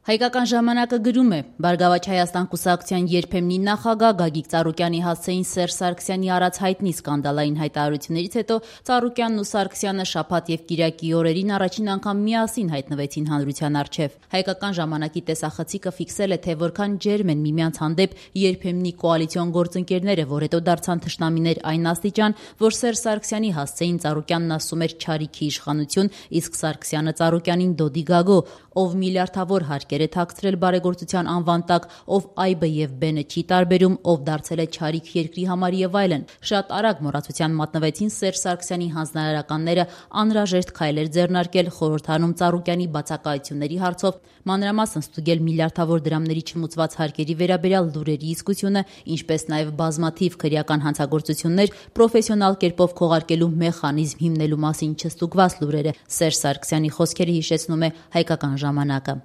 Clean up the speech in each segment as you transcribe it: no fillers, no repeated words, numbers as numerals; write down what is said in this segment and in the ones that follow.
Հայկական ժամանակը գրում է. Բարգավաճ Հայաստան կուսակցության երբեմնի նախագահ Գագիկ Ծառուկյանի հասցեին Սերժ Սարգսյանի արած հայտնի սկանդալային հայտարարություններից հետո Ծառուկյանն ու Սարգսյանը շաբաթ եւ կիրակի օրերին առաջին անգամ միասին հայտնվեցին հանրության առջև։ Հայկական ժամանակի տեսախցիկը ֆիքսել է, թե որքան ջերմ են միմյանց հանդեպ երբեմնի կոալիցիոն գործընկերները, որ հետո դարձան թշնամիներ այն աստիճան, որ Սերժ Սարգսյանի հասցեին Ծառուկյանն ասում էր չարիքի իշխանություն, իսկ Սարգսյանը Ծառուկյանին դոդի գագո, ով միլիարդավոր հարկեր է թաքցրել բարեգործության անվան տակ, ով այբը եւ բենը չի տարբերում, ով դարձել է չարիք երկրի համար եւ այլն։ Շատ արագ մոռացության մատնվեցին Սերժ Սարգսյանի հանձնարարականները անհրաժեշտ քայլեր ձեռնարկել խորհրդանում Ծառուկյանի բացակայությունների հարցով, մանրամասն ստուգել միլիարդավոր դրամների չմուծված հարկերի վերաբերյալ լուրերի իսկությունը, ինչպես նաեւ բազմաթիվ քրեական հանցագործություններ պրոֆեսիոնալ կերպով քողարկելու մեխանիզմ հիմնելու մասին չստուգված լուրերը։ Սերժ Սարգսյանի խոսքերը հիշեցնում է Հայկական ժամանակը։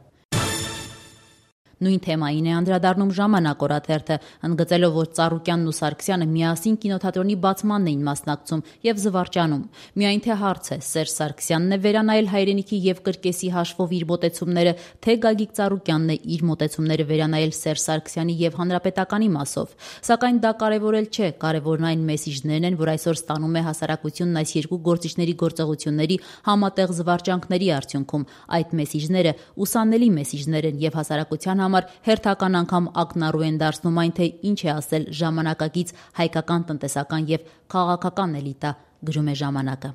Նույն թեմային է անդրադառնում Ժամանակ օրաթերթը, ընդգծելով, որ Ծառուկյանն ու Սարգսյանը միասին կինոթատրոնի բացմանն էին մասնակցում եւ զվարճանում։ Միայն թե հարց է, Սերժ Սարգսյանն է վերանայել հայրենիքի եւ կրկեսի հաշվով իր մոտեցումները, թե Գագիկ Ծառուկյանն է իր մոտեցումները վերանայել Սերժ Սարգսյանի եւ Հանրապետականի մասով։ Սակայն դա կարեւորել չէ, կարեւորն այն մեսիջներն են, որ այսօր ստանում է հասարակությունն այս երկու գործիչների գործողությունների համատեղ զվարճանքների արդյունքում։ Այդ մեսիջները ուսանելի մեսիջներ են եւ հասարակության համար հերթական անգամ ակնառու են դարձնում այն, թե ինչ է ասել ժամանակակից հայկական տնտեսական եւ քաղաքական էլիտա, գրում է Ժամանակը։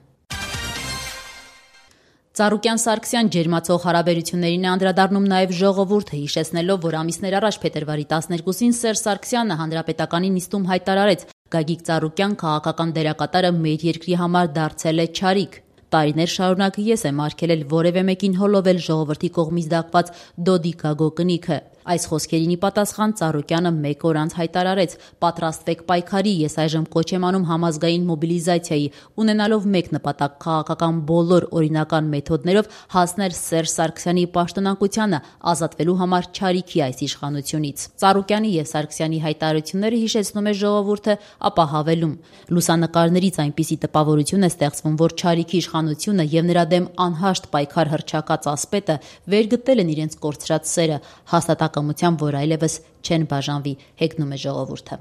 Ծառուկյան-Սարգսյան ջերմացող հարաբերություններին է անդրադառնում նաև Ժողովուրդը, հիշեցնելով, որ ամիսներ առաջ փետրվարի 12-ին Սերժ Սարգսյանը Հանրապետականի նիստում հայտարարեց. Գագիկ Ծառուկյան քաղաքական դերակատարը մեր երկրի համար դարձել է չարիք։ Տարիներ շարունակ ես եմ արգելել որևէ մեկին հոլովել ժողովրդի կողմից դակված դոդի գագո կնիքը։ Այս խոսքերին ի պատասխան Ծառուկյանը մեկ օր անց հայտարարեց. պատրաստվեք պայքարի, ես այժմ կոչ եմ անում համազգային մոբիլիզացիայի, ունենալով մեկ նպատակ քաղաքական բոլոր օրինական մեթոդներով հասնել Սերժ Սարգսյանի պաշտոնակությանը, ազատվելու համար չարիքի այս իշխանությունից։ Ծառուկյանի եւ Սարգսյանի հայտարարությունները հիշեցնում է Ժողովուրդը, ապա հավելում. լուսանկարներից այնպիսի տպավորություն է ստեղծվում, որ չարիքի իշխանությունը եւ նրա դեմ անհաշտ պայքար հռչակած ասպետը վերգտել են իրենց կորցրած սերը, հաստատակամությամբ, որ այլևս չեն բաժանվի, հեգնում է Ժողովուրդը։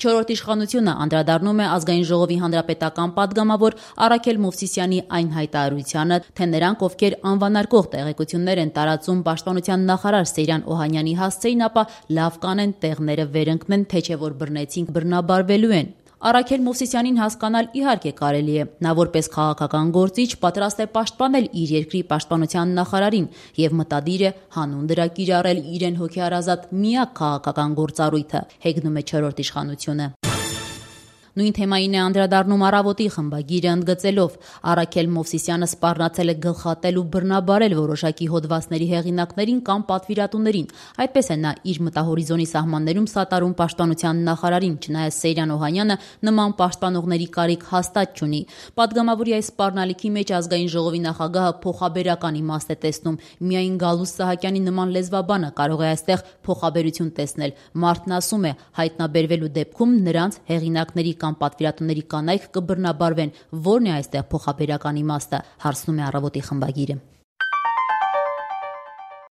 Չորրորդ իշխանությունը անդրադառնում է Ազգային ժողովի հանրապետական պատգամավոր Արաքել Մովսիսյանի այն հայտարարությանը, թե նրանք, ովքեր անվանարկող տեղեկություններ են տարածում պաշտպանության նախարար Սեյրան Օհանյանի հասցեին, ապա լավ կանեն տեղները վերընկնեն, թե չէ որ բռնեցինք բռնաբարվելու են։ Արաքել Մովսիսյանին հասկանալ իհարկե կարելի է, նա որպես քաղաքական գործիչ պատրաստ է պաշտպանել իր երկրի պաշտպանության նախարարին եւ մտադիր է հանուն դրա կիրառել իրեն հոգեարազատ միակ քաղաքական գործառույթը, հեգնում է չորրորդ իշխանությունը։ Նույն թեմային է անդրադառնում Առավոտի խմբագիրը, ընդգծելով. Արաքել Մովսիսյանը սպառնացել է գլխատել ու բռնաբարել որոշակի հոդվածների հեղինակներին կամ պատվիրատուներին։ Այդպես է նա իր մտահորիզոնի սահմաններում սատարում պաշտպանության նախարարին, չնայած Սեյրան Օհանյանը նման պաշտպանողների կարիք հաստատ չունի։ Պատգամավորի այս սպառնալիքի մեջ Ազգային ժողովի նախագահը փոխաբերական իմաստ է տեսնում։ Միայն Գալուստ Սահակյանի նման լեզվաբանը կարող է այստեղ փոխաբերություն տեսնել։ Մարդն ասում է, հայտնաբերվելու դեպքում նրանց հեղինակների կամ պատվիրատուների կանայք կբռնաբարվեն, որն է այստեղ փոխաբերական իմաստը, հարցնում է Առավոտի խմբագիրը։